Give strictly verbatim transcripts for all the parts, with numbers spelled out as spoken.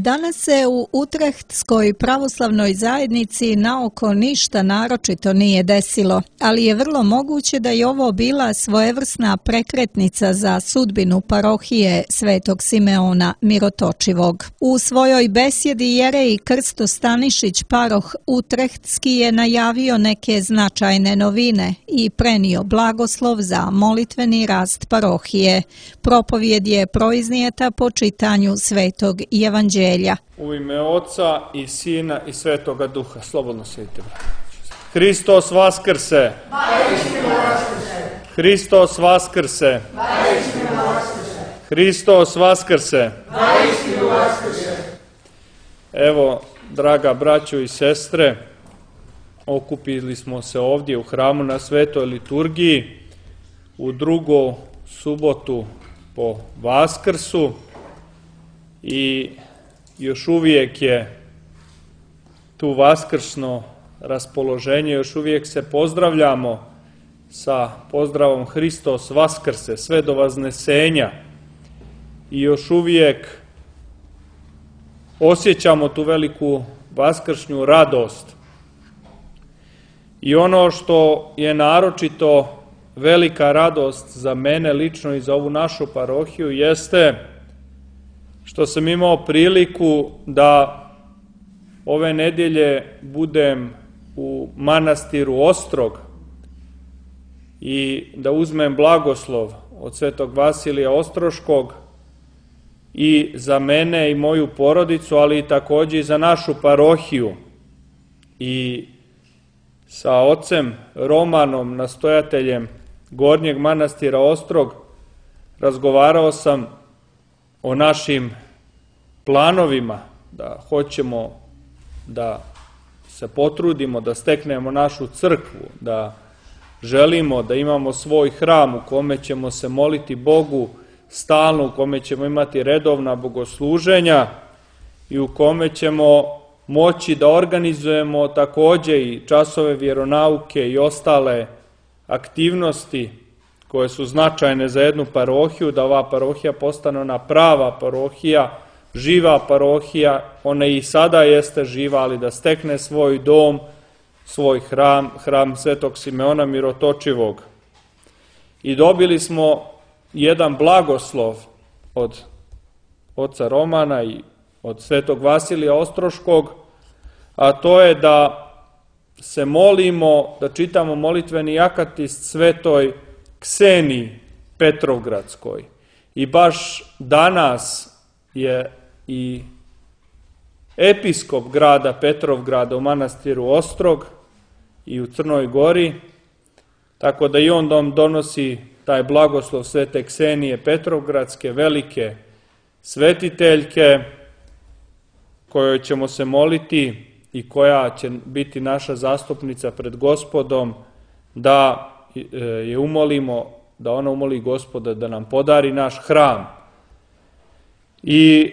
Danas se u Utrehtskoj pravoslavnoj zajednici naoko ništa naročito nije desilo, ali je vrlo moguće da je ovo bila svojevrsna prekretnica za sudbinu parohije Svetog Simeona Mirotočivog. U svojoj besjedi jerej Krsto Stanišić, paroh Utrehtski, je najavio neke značajne novine i prenio blagoslov za molitveni rast parohije. Propovjed je proiznijeta po čitanju Svetog Evanđelja. U ime Oca i Sina i Svetoga Duha. Slobodno sjedite. Hristos vaskrse! Hristos vaskrse! Hristos vaskrse! Evo, draga braćo i sestre, okupili smo se ovdje u hramu na Svetoj liturgiji u drugu subotu po Vaskrsu i još uvijek je tu vaskrsno raspoloženje, još uvijek se pozdravljamo sa pozdravom Hristos vaskrse, sve do vaznesenja, i još uvijek osjećamo tu veliku vaskršnju radost. I ono što je naročito velika radost za mene lično i za ovu našu parohiju jeste što sam imao priliku da ove nedjelje budem u manastiru Ostrog i da uzmem blagoslov od Svetog Vasilija Ostroškog i za mene i moju porodicu, ali i također i za našu parohiju. I sa ocem Romanom, nastojateljem Gornjeg manastira Ostrog, razgovarao sam o našim planovima, da hoćemo da se potrudimo, da steknemo našu crkvu, da želimo da imamo svoj hram u kome ćemo se moliti Bogu stalno, u kome ćemo imati redovna bogosluženja i u kome ćemo moći da organizujemo također i časove vjeronauke i ostale aktivnosti koje su značajne za jednu parohiju, da ova parohija postane ona prava parohija, živa parohija. Ona i sada jeste živa, ali da stekne svoj dom, svoj hram, hram Svetog Simeona Mirotočivog. I dobili smo jedan blagoslov od oca Romana i od Svetog Vasilija Ostroškog, a to je da se molimo, da čitamo molitveni akatist Svetoj Kseniji Petrovgradskoj. I baš danas je i episkop grada Petrovgrada u manastiru Ostrog i u Crnoj Gori, tako da i on dom donosi taj blagoslov Svete Ksenije Petrovgradske, velike svetiteljke, kojoj ćemo se moliti i koja će biti naša zastupnica pred Gospodom, da je umolimo, da ona umoli Gospoda da nam podari naš hram. I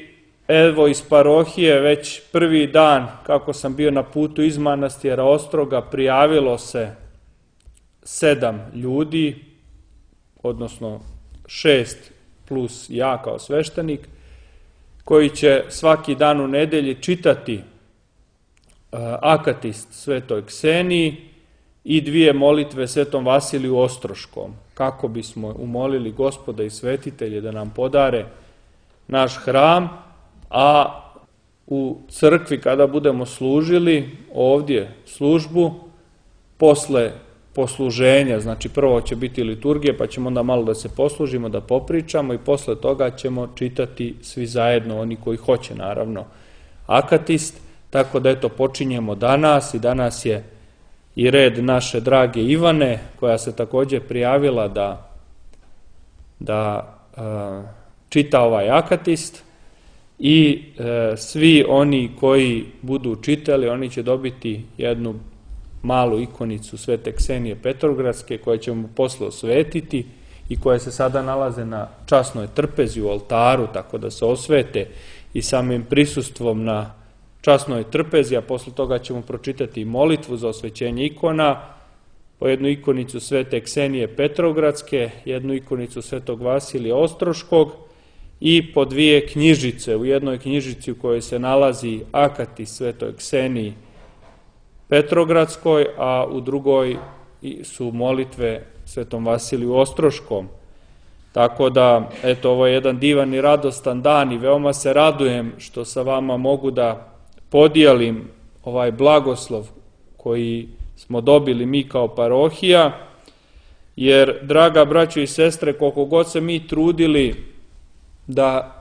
evo, iz parohije već prvi dan kako sam bio na putu iz manastira Ostroga prijavilo se sedam ljudi, odnosno šest plus ja kao sveštenik, koji će svaki dan u nedelji čitati akatist Svetoj Kseniji i dvije molitve Svetom Vasiliju Ostroškom, kako bismo umolili Gospoda i svetitelje da nam podare naš hram, a u crkvi kada budemo služili ovdje službu, posle posluženja, znači prvo će biti liturgija, pa ćemo onda malo da se poslužimo, da popričamo i posle toga ćemo čitati svi zajedno, oni koji hoće naravno, akatist. Tako da eto, počinjemo danas i danas je i red naše drage Ivane, koja se također prijavila da, da uh, čita ovaj akatist, i e, svi oni koji budu čitali, oni će dobiti jednu malu ikonicu Svete Ksenije Petrovgradske, koja ćemo posle osvetiti i koje se sada nalaze na časnoj trpezi u oltaru, tako da se osvete i samim prisustvom na časnoj trpezi, a posle toga ćemo pročitati molitvu za osvećenje ikona, po jednu ikonicu svete Ksenije Petrogradske, jednu ikonicu svetog Vasilija Ostroškog i po dvije knjižice. U jednoj knjižici u kojoj se nalazi akatist svetoj Kseniji Petrogradskoj, a u drugoj su molitve svetom Vasiliju Ostroškom. Tako da, eto, ovo je jedan divan i radostan dan i veoma se radujem što sa vama mogu da podijelim ovaj blagoslov koji smo dobili mi kao parohija, jer, draga braćo i sestre, koliko god se mi trudili da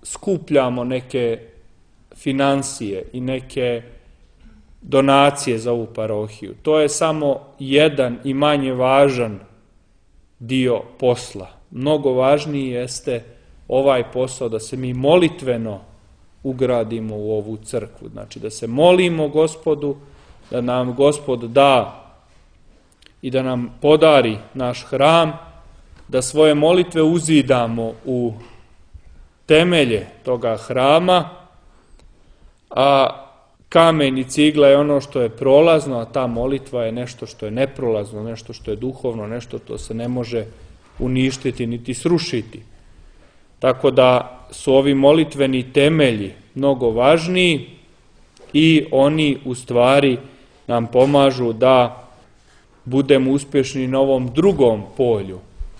skupljamo neke financije i neke donacije za ovu parohiju, to je samo jedan i manje važan dio posla. Mnogo važniji jeste ovaj posao da se mi molitveno ugradimo u ovu crkvu. Znači da se molimo Gospodu, da nam Gospod da i da nam podari naš hram, da svoje molitve uzidamo u temelje toga hrama, a kamen i cigla je ono što je prolazno, a ta molitva je nešto što je neprolazno, nešto što je duhovno, nešto što se ne može uništiti niti srušiti. Tako da su ovi molitveni temelji mnogo važniji i oni u stvari nam pomažu da budemo uspješni na ovom drugom polju,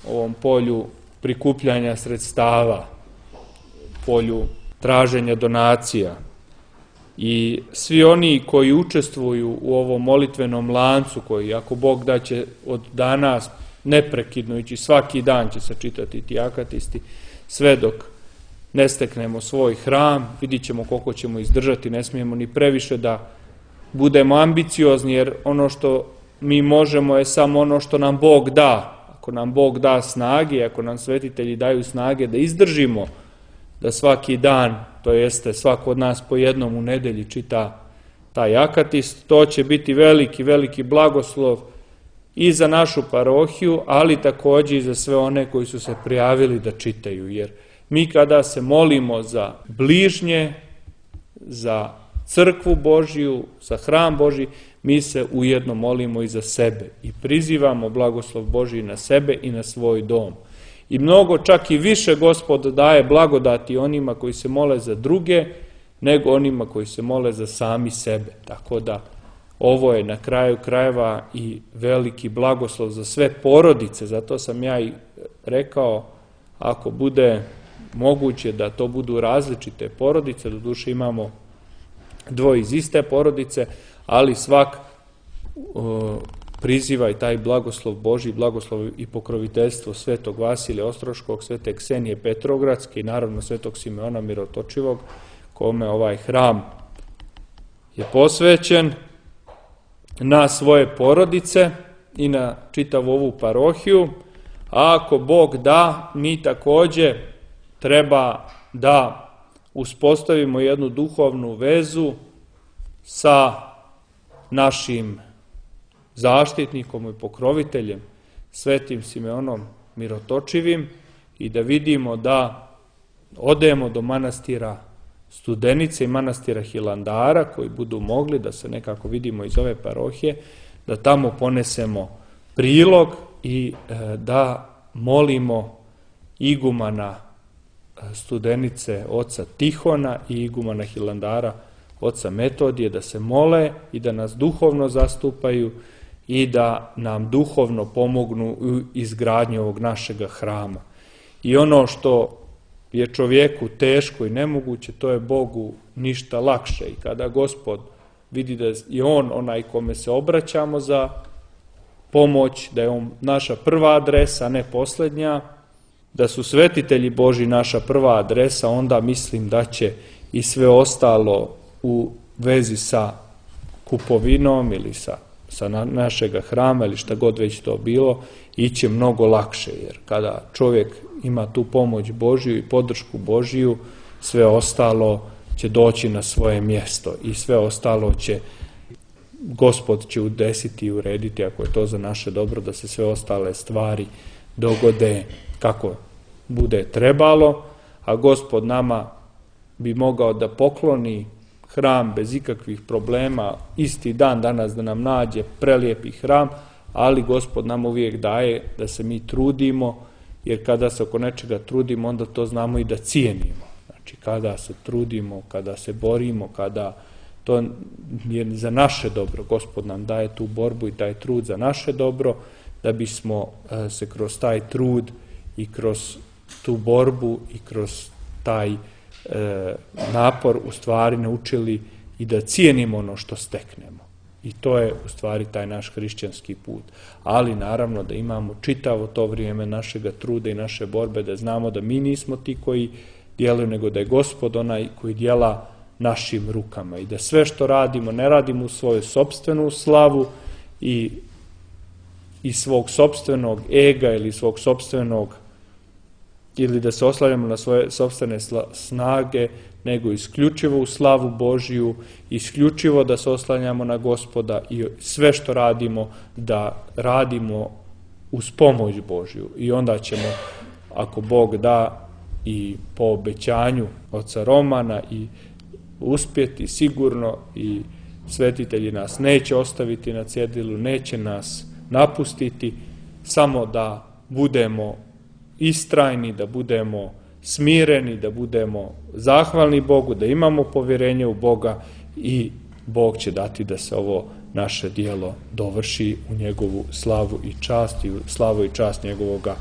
ovom polju prikupljanja sredstava, polju traženja donacija. I svi oni koji učestvuju u ovom molitvenom lancu, koji ako Bog da će od danas neprekidno ići, svaki dan će se čitati ti akatisti, sve dok ne steknemo svoj hram, vidit ćemo koliko ćemo izdržati, ne smijemo ni previše da budemo ambiciozni, jer ono što mi možemo je samo ono što nam Bog da. Ako nam Bog da snage, ako nam svetitelji daju snage da izdržimo, da svaki dan, to jeste svako od nas po jednom u nedelji čita taj akatist, to će biti veliki, veliki blagoslov i za našu parohiju, ali također i za sve one koji su se prijavili da čitaju, jer mi kada se molimo za bližnje, za crkvu Božiju, za hram Božji, mi se ujedno molimo i za sebe i prizivamo blagoslov Božji na sebe i na svoj dom. I mnogo, čak i više Gospod daje blagodati onima koji se mole za druge, nego onima koji se mole za sami sebe. Tako da ovo je na kraju krajeva i veliki blagoslov za sve porodice. Zato sam ja i rekao, ako bude moguće da to budu različite porodice, doduše imamo dvoje iz iste porodice, ali svak o, priziva i taj blagoslov Božji, blagoslov i pokroviteljstvo svetog Vasilija Ostroškog, svete Ksenije Petrogradske i naravno svetog Simeona Mirotočivog, kome ovaj hram je posvećen, na svoje porodice i na čitavu ovu parohiju. A ako Bog da, mi također treba da uspostavimo jednu duhovnu vezu sa našim zaštitnikom i pokroviteljem, svetim Simeonom Mirotočivim, i da vidimo da odemo do manastira Studenice i manastira Hilandara, koji budu mogli da se nekako vidimo iz ove parohije, da tamo ponesemo prilog i e, da molimo igumana Studenice oca Tihona i igumana Hilandara oca Metodije, da se mole i da nas duhovno zastupaju i da nam duhovno pomognu u izgradnji ovog našega hrama. I ono što je čovjeku teško i nemoguće, to je Bogu ništa lakše. I kada Gospod vidi da je On onaj kome se obraćamo za pomoć, da je On naša prva adresa, a ne posljednja, da su svetitelji Božji naša prva adresa, onda mislim da će i sve ostalo u vezi sa kupovinom ili sa, sa na, našega hrama ili šta god već to bilo, iće mnogo lakše, jer kada čovjek ima tu pomoć Božju i podršku Božju, sve ostalo će doći na svoje mjesto i sve ostalo će Gospod će udesiti i urediti, ako je to za naše dobro, da se sve ostale stvari dogode kako bude trebalo, a Gospod nama bi mogao da pokloni hram bez ikakvih problema, isti dan danas da nam nađe prelijepi hram, ali Gospod nam uvijek daje da se mi trudimo, jer kada se oko nečega trudimo, onda to znamo i da cijenimo. Znači, kada se trudimo, kada se borimo, kada to je za naše dobro, Gospod nam daje tu borbu i taj trud za naše dobro, da bismo se kroz taj trud i kroz tu borbu i kroz taj e, napor u stvari naučili i da cijenimo ono što steknemo. I to je u stvari taj naš hrišćanski put. Ali naravno da imamo čitavo to vrijeme našega truda i naše borbe, da znamo da mi nismo ti koji djeluju, nego da je Gospod onaj koji djela našim rukama i da sve što radimo, ne radimo u svoju sopstvenu slavu i, i svog sopstvenog ega ili svog sopstvenog, ili da se oslanjamo na svoje sopstvene snage, nego isključivo u slavu Božiju, isključivo da se oslanjamo na Gospoda i sve što radimo, da radimo uz pomoć Božju. I onda ćemo, ako Bog da, i po obećanju oca Romana i uspjeti sigurno, i svetitelji nas neće ostaviti na cjedilu, neće nas napustiti, samo da budemo istrajni, da budemo smireni, da budemo zahvalni Bogu, da imamo povjerenje u Boga i Bog će dati da se ovo naše djelo dovrši u njegovu slavu i čast i slavu i čast njegovoga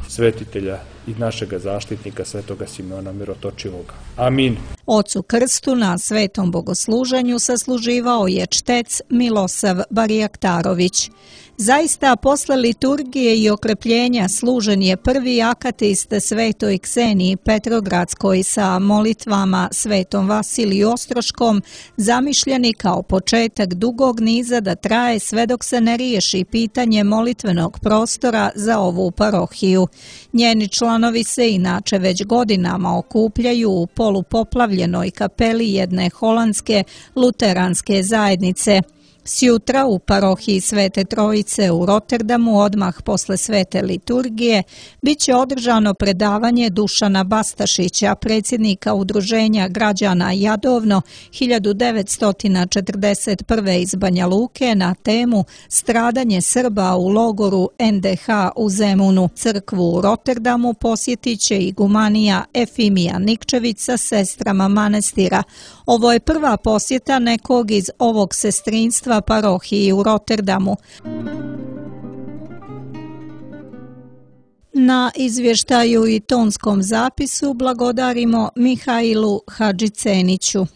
svetitelja i našega zaštitnika svetoga Simeona Mirotočivoga. Amin. Ocu Krstu na svetom bogosluženju sasluživao je čtec Milosav Barjaktarović. Zaista, posle liturgije i okrepljenja služen je prvi akatist Svetoj Kseniji Petrogradskoj sa molitvama Svetom Vasiliju Ostroškom, zamišljeni kao početak dugog niza da traje sve dok se ne riješi pitanje molitvenog prostora za ovu parohiju. Njeni članovi se inače već godinama okupljaju u polupoplavljenoj kapeli jedne holandske luteranske zajednice. Sjutra u parohiji Svete Trojice u Rotterdamu, odmah posle svete liturgije, bit će održano predavanje Dušana Bastašića, predsjednika Udruženja građana Jadovno hiljadu devetsto četrdeset prve iz Banja Luke, na temu Stradanje Srba u logoru en de ha u Zemunu. Crkvu u Rotterdamu posjetit će igumanija Efimija Nikčević sa sestrama manastira. Ovo je prva posjeta nekog iz ovog sestrinstva parohiji u Rotterdamu. Na izvještaju i tonskom zapisu blagodarimo Mihajlu Hadžiceniću.